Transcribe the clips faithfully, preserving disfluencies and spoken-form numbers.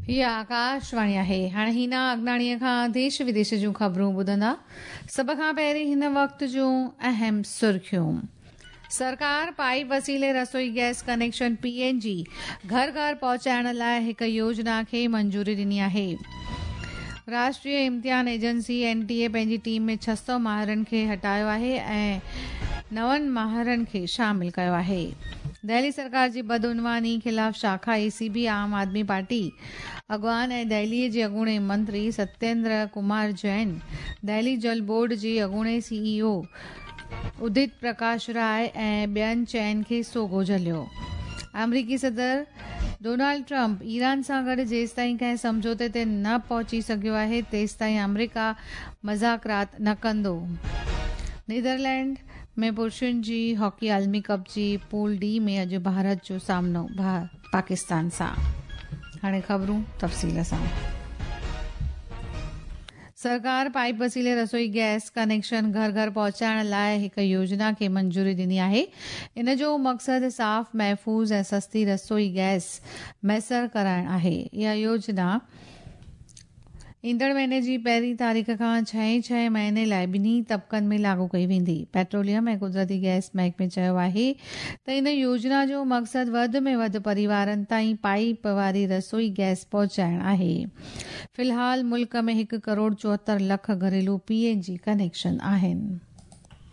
हीअ आकाशवाणी आहे। हाणे हिना अगनाणीअ खां देश विदेश जूं ख़बरूं ॿुधंदा। सभ खां पहिरीं हिन वक़्त जूं अहम सुर्खियूं। सरकार पाइप वसीले रसोई गैस कनेक्शन पीएनजी घर घर पहुचाइण लाइ हिकु योजना खे मंजूरी ॾिनी आहे। राष्ट्रीय इम्तिहान एजेंसी एनटीए पंहिंजी टीम में छह सौ माहिरनि खे हटायो आहे ऐं नवनि माहिरनि खे शामिल कयो आहे। दिल्ली सरकार जी बदउनवानी ख़िलाफ़ शाखा एसीबी आम आदमी पार्टी अॻवान ऐं दिल्लीअ जे अॻूणे मंत्री सत्येंद्र कुमार जैन, दिल्ली जल बोर्ड जे अॻूणे सीईओ उदित प्रकाश राय ऐं ॿियनि चइनि खे सोगो झलियो। अमरीकी सदर डोनाल्ड ट्रंप ईरान सां गॾु जेसिताईं कंहिं सम्झौते ते न पहुची सघियो आहे तेसिताईं अमरीका मज़ाकरात न कंदो। नीदरलैंड में पुरुषनि जी हॉकी आलमी कप जी पूल डी में अॼु भारत जो सामनो पाकिस्तान सां। हाणे ख़बरूं तफ़सील सां। सरकार पाइप वसीले रसोई गैस कनेक्शन घर घर पहुचाइण लाइ हिकु योजना खे मंजूरी ॾिनी आहे। इन जो मक़सदु साफ़, महफ़ूज़ ऐं सस्ती रसोई गैस मयसर कराइण आहे। इहा योजना ईंदड़ महीने जी पहिरीं तारीख़ खां छहें छहें महीने लाइ ॿिन्ही तबक़नि में लागू कई वेंदी। पेट्रोलियम ऐं कुदरती गैस महकमे चयो आहे त इन योजना जो मक़सदु वधि में वधि परिवारनि ताईं पाइप वारी रसोई गैस पहुचाइण आहे। फ़िलहाल मुल्क में हिकु करोड़ चोहतरि लख घरेलू पीएनजी कनेक्शन आहिनि।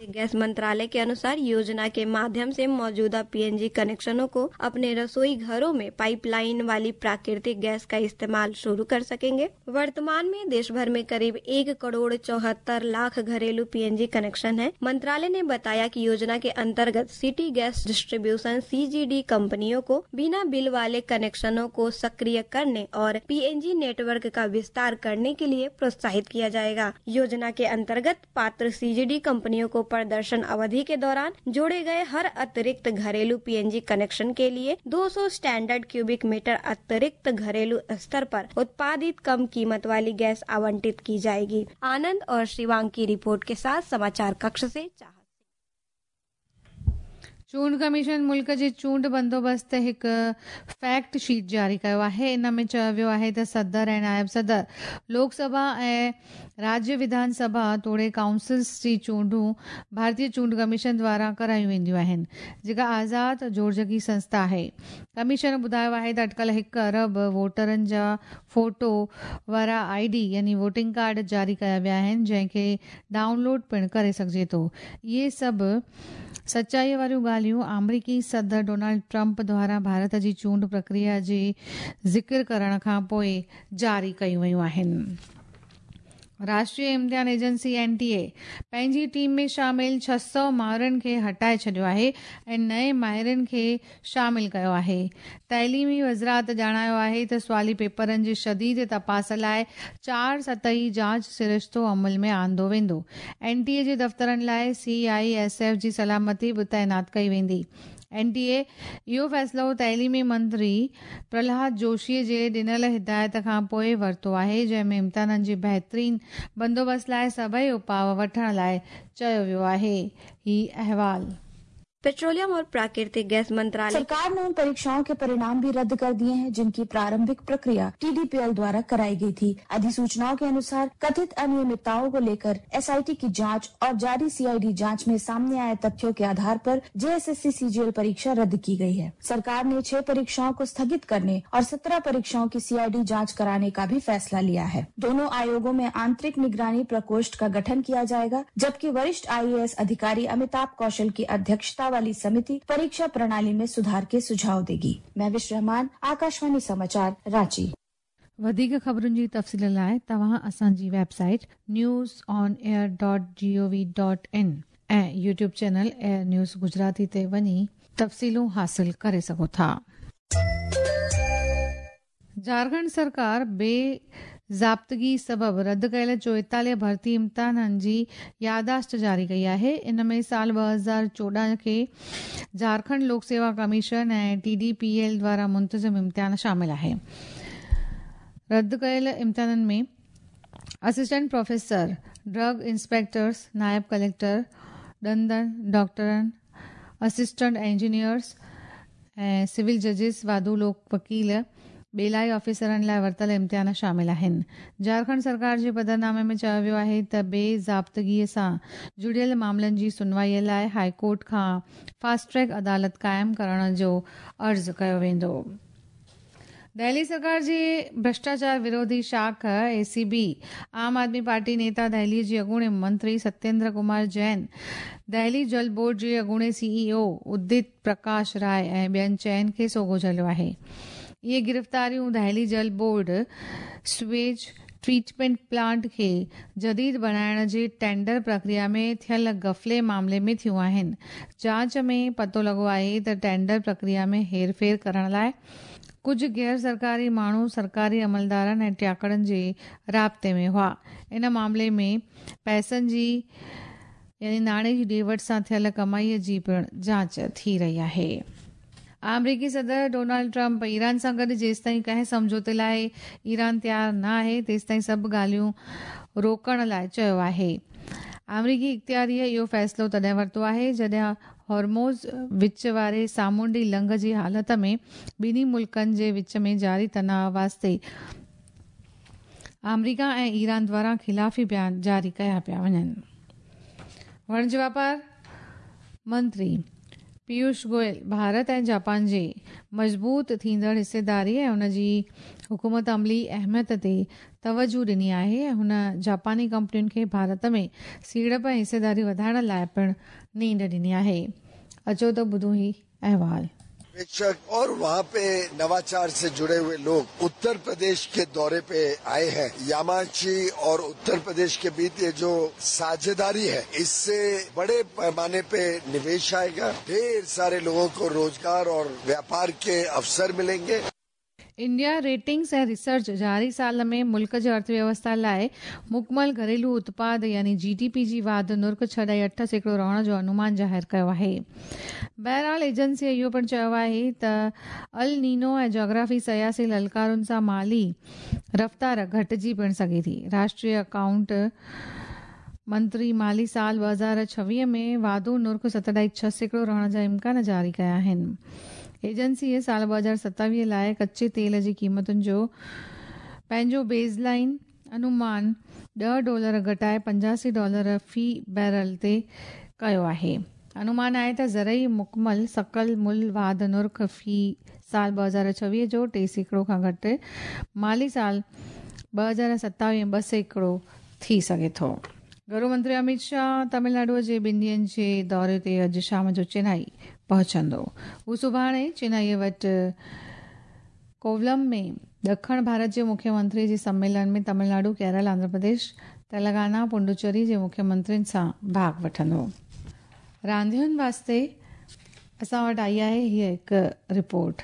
गैस मंत्रालय के अनुसार योजना के माध्यम से मौजूदा पीएनजी कनेक्शनों को अपने रसोई घरों में पाइपलाइन वाली प्राकृतिक गैस का इस्तेमाल शुरू कर सकेंगे। वर्तमान में देश भर में करीब एक करोड़ चौहत्तर लाख घरेलू पीएनजी कनेक्शन है। मंत्रालय ने बताया कि योजना के अंतर्गत सिटी गैस डिस्ट्रीब्यूशन सीजीडी कंपनियों को बिना बिल वाले कनेक्शनों को सक्रिय करने और पीएनजी नेटवर्क का विस्तार करने के लिए प्रोत्साहित किया जाएगा। योजना के अंतर्गत पात्र सीजीडी कंपनियों को प्रदर्शन अवधि के दौरान जोड़े गए हर अतिरिक्त घरेलू पीएनजी कनेक्शन के लिए दो सौ स्टैंडर्ड क्यूबिक मीटर अतिरिक्त घरेलू स्तर पर उत्पादित कम कीमत वाली गैस आवंटित की जाएगी। आनंद और शिवांग की रिपोर्ट के साथ समाचार कक्ष से चाहत। चूंड कमीशन मुल्क जे चूंड बंदोबस्त ते हिकु फैक्ट शीट जारी कयो आहे। इन में चयो वियो आहे त सदर ऐं नायब सदर, लोकसभा ऐं राज्य विधानसभा तोड़े काउंसिल्स जी चूंडूं भारतीय चूंड कमीशन द्वारा करायूं वेंदियूं आहिनि, जेका आज़ाद जोड़जकी संस्था आहे। कमीशन ॿुधायो आहे त अटकल हिकु अरब वोटरनि जा फोटो वारा आईडी यानी वोटिंग कार्ड जारी कया विया आहिनि, जंहिंखे डाउनलोड पिणु करे सघिजे थो। इहे सभु सचाईअ वारियूं ॻाल्हियूं अमरीकी सदर डोनाल्ड ट्रंप द्वारा भारत जी चूंड प्रक्रिया जे ज़िक्र करण खां पोइ जारी कयूं वयूं आहिनि। राष्ट्रीय इम्तिहान एजेंसी एनटीए पंहिंजी टीम में शामिल छह सौ माहिरनि खे हटाए छॾियो आहे ऐं नए माहिरनि खे शामिल कयो आहे। तइलीमी वज़ारत ॼाणायो आहे त सुवाली पेपरनि जी शदीद तपास लाइ चार सतही जांच सरिश्तो अमल में आंदो वेंदो। एनटीए जे दफ़्तरनि लाइ सीआईएसएफ जी सलामती बि तैनात कई वेंदी। एनटीए इहो फ़ैसिलो तइलीमी मंत्री प्रहलाद जोशीअ जे ॾिनल हिदायत खां पोइ वरितो आहे, जंहिंमें इम्तिहाननि जे बहितरीन बंदोबस्त लाइ सभई उपाव वठण लाइ चयो वियो आहे। ही अहवाल। पेट्रोलियम और प्राकृतिक गैस मंत्रालय। सरकार ने उन परीक्षाओं के परिणाम भी रद्द कर दिए हैं जिनकी प्रारंभिक प्रक्रिया टीडीपीएल द्वारा कराई गई थी। अधिसूचनाओं के अनुसार कथित अनियमितताओं को लेकर एसआईटी की जांच और जारी सीआईडी जांच में सामने आए तथ्यों के आधार पर जेएसएससी सीजीएल परीक्षा रद्द की गई है। सरकार ने छह परीक्षाओं को स्थगित करने और सत्रह परीक्षाओं की सीआईडी जाँच कराने का भी फैसला लिया है। दोनों आयोगों में आंतरिक निगरानी प्रकोष्ठ का गठन किया जाएगा, जबकि वरिष्ठ आईएएस अधिकारी अमिताभ कौशल की अध्यक्षता वाली समिति परीक्षा प्रणाली में सुधार के सुझाव देगी। महविश रहमान, आकाशवाणी समाचार, रांची। वधीक ख़बरुनि जी तफ़सील लाइ तव्हां असांजी website news on air dot G O V dot in ऐं YouTube channel air news Gujarati ते वञी तफ़सीलूं हासिल करे सघो था। झारखंड सरकार बे ज़ाब्तगी सबब रद्द कयल चोएतालीह भर्ती इम्तिहाननि जी यादाश्त जारी कई आहे। इन में साल ॿ हज़ार चोॾहं खे झारखंड लोक सेवा कमीशन ऐं टीडीपीएल द्वारा मुंतज़िम इम्तिहान शामिल आहे। रद्द कयल इम्तिहाननि में असिस्टेंट प्रोफेसर, ड्रग इंस्पेक्टर्स, नायब कलेक्टर, ॾंदनि डॉक्टरनि, असिस्टेंट इंजीनियर्स ऐं सिविल जजिस, वाधू लोक वकील, ٻيلائي آفيسرن لاءِ ورتل امتحان شامل آهن. جهارکنڊ سرڪار جي پڌرنامي ۾ چيو ويو آهي ته بي ضابطگيءَ سان جڙيل معاملن جي سنوائيءَ لاءِ هاءِ ڪورٽ کان فاسٽ ٽريڪ عدالت قائم ڪرڻ جو عرض ڪيو ويندو. دهلي سرڪار جي ڀرشٽاچار وروڌي شاخ اي سي بي عام آدمي پارٽي نيتا دهلي جي اڳوڻي منتري ستيندر ڪمار جين، دهلي جل بورڊ جي اڳوڻي سي اي او ادت پرڪاش راءِ ۽ ٻين چئن کي سوگهو جهليو آهي. اهي گرفتاريون دهلي جل بورڊ سويج ٽريٽمينٽ پلانٽ کي جديد بڻائڻ جي ٽينڊر پرڪريا ۾ ٿيل غفلي معاملي ۾ ٿيون آهن. جاچ ۾ پتو لڳو آهي ته ٽينڊر پرڪريا ۾ هيرڦير ڪرڻ لاءِ ڪجهه غير سرڪاري ماڻهو سرڪاري عملدارن ۽ ٽياڪڙن جي رابطي ۾ هئا. ان معاملي ۾ پئسن جي يعني ناڻي جي ڏي وٺ سان ٿيل ڪمائيءَ جي پڻ جاچ ٿي رهي آهي. آمريڪي صدر ڊونلڊ ٽرمپ ايران سان گڏ جيستائين ڪنهن سمجهوتي لاءِ ايران تيار نه آهي تيستائين سڀ ڳالهيون روڪڻ لاءِ چيو آهي. آمريڪي اختياريءَ اهو فيصلو تڏهن ورتو آهي جڏهن هرمز وچ واري سامونڊي لنگهه جي حالت ۾ ٻنهي ملڪن جي وچ ۾ جاري تناءُ واسطي آمريڪا ۽ ايران دوارا خلافي بيان جاري ڪيا پيا وڃن. وڻج واپار منتري پيوش گويل ڀارت ۽ جاپان جي مضبوط ٿيندڙ حصيداري ۽ ان جي حڪومت عملي اهميت تي توجهه ڏني آهي ۽ هن جاپاني ڪمپنين کي ڀارت ۾ سيڙپ ۽ حصيداري وڌائڻ لاءِ پڻ نينڍ ڏني آهي. اچو ته ٻڌون هي احوال. निवेशक और वहाँ पे नवाचार से जुड़े हुए लोग उत्तर प्रदेश के दौरे पे आए हैं। यामाची और उत्तर प्रदेश के बीच ये जो साझेदारी है, इससे बड़े पैमाने पे निवेश आएगा, ढेर सारे लोगों को रोजगार और व्यापार के अवसर मिलेंगे। इंडिया रेटिंग्स ऐं रिसर्च जारी साल में मुल्क जी अर्थव्यवस्था लाइ मुकमल घरेलू उत्पाद यानी जीडीपी जी वाध नुर्ख छह ॾाई अठ सैकड़ो रहण जो अनुमान ज़ाहिर कयो आहे। बहरहाल एजेंसीअ इहो पिणु चयो आहे त अल नीनो ऐं जोग्राफी सियासी ललकारुनि सां माली रफ़्तार घटिजी पिणु सघे थी। राष्ट्रीय अकाउंट मंत्री माली साल ॿ हज़ार छवीह में वाधू नुर्ख सत ॾाई छह सैकड़ो रहण जा इम्कान जारी कया आहिनि। एजेंसीअ साल ॿ हज़ार सतावीह लाइ कच्चे तेल जी क़ीमतुनि जो पंहिंजो बेसलाइन अनुमान ॾह डॉलर घटाए पंजासी डॉलर फ़ी बैरल ते कयो आहे। अनुमान आहे त ज़रई मुकमल सकल मुल वाध नुर्ख फ़ी साल ॿ हज़ार छवीह जो टे सैकड़ो खां घटि माली साल ॿ हज़ार सतावीह ॿ सैकड़ो थी सघे थो। गृह मंत्री अमित शाह तमिलनाडुअ जे ॿिनि ॾींहंनि जे दौरे ते अॼु शाम जो चेन्नई पहुचंदो। हू सुभाणे चेन्नईअ वटि कोवलम में ॾखण भारत जे मुख्यमंत्री जे सम्मेलन में तमिलनाडु, केरल, आंध्र प्रदेश, तेलंगाना, पुडुचेरी जे मुख्यमंत्रियुनि सां भाॻ वठंदो। रांदियुनि वास्ते असां वटि आई आहे हीअ हिकु रिपोर्ट।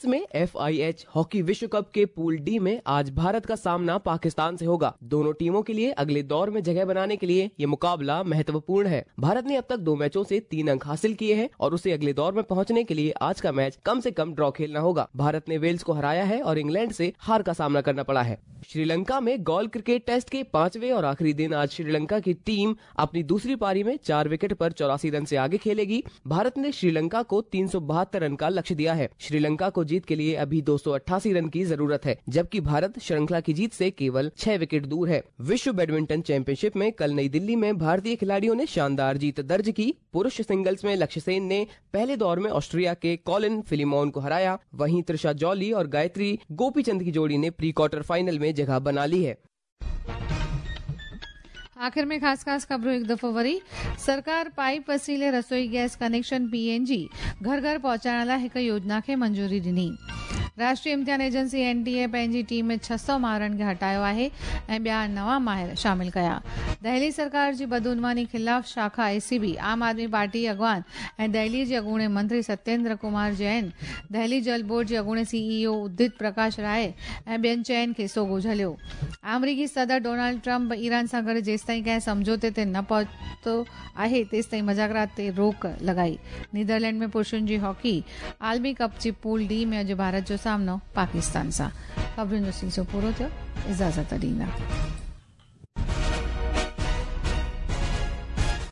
में एफ I H hockey विश्व कप के पूल डी में आज भारत का सामना पाकिस्तान से होगा। दोनों टीमों के लिए अगले दौर में जगह बनाने के लिए ये मुकाबला महत्वपूर्ण है। भारत ने अब तक दो मैचों से तीन अंक हासिल किए हैं और उसे अगले दौर में पहुंचने के लिए आज का मैच कम से कम ड्रॉ खेलना होगा। भारत ने वेल्स को हराया है और इंग्लैंड से हार का सामना करना पड़ा है। श्रीलंका में गोल क्रिकेट टेस्ट के पांचवें और आखिरी दिन आज श्रीलंका की टीम अपनी दूसरी पारी में चार विकेट पर चौरासी रन से आगे खेलेगी। भारत ने श्रीलंका को तीन सौ बहत्तर रन का लक्ष्य दिया है। श्रीलंका को जीत के लिए अभी दो सौ अट्ठासी रन की जरूरत है, जबकि भारत श्रृंखला की जीत से केवल छह विकेट दूर है। विश्व बैडमिंटन चैंपियनशिप में कल नई दिल्ली में भारतीय खिलाड़ियों ने शानदार जीत दर्ज की। पुरुष सिंगल्स में लक्ष्य सेन ने पहले दौर में ऑस्ट्रिया के कॉलिन फिलिमोन को हराया। वहीं त्रिशा जॉली और गायत्री गोपीचंद की जोड़ी ने प्री क्वार्टर फाइनल में जगह बना ली है। आख़िर में ख़ासि ख़ासि ख़बरूं हिकु दफ़ो वरी। सरकार पाइप वसीले रसोई gas connection P N G घर घर पहुचाइण लाइ हिकु योजना खे मंजूरी ॾिनी। राष्ट्रीय इम्तिहान एजेंसी एन टी ए पंहिंजी टीम में छह सौ माहिरनि खे हटायो आहे ऐं ॿिया नवां माहिर शामिल कया। दहली सरकार जी बदउनवानी ख़िलाफ़ शाखा ए सी बी आम आदमी पार्टी अॻवान ऐं दहली जे अॻूणे मंत्री सत्येंद्र कुमार जैन, दहली जल बोर्ड जे अॻूणे सी ई ओ उदित प्रकाश राय ऐं ॿियनि चइनि खे सोगो झलियो। आमरीकी सदर डोनाल्ड ट्रंप ईरान सां गॾु जेसिताईं कंहिं सम्झौते ते न पहुतो आहे तेसिताईं मज़ाकरात ते रोक लॻाई। नीदरलैंड में पुरुषनि जी हॉकी आलमी कप जी पूल डी में अॼु भारत जो सामनो पाकिस्तान सां। ख़बरुनि जो सिलसिलो पूरो थियो, इजाज़त ॾींदा।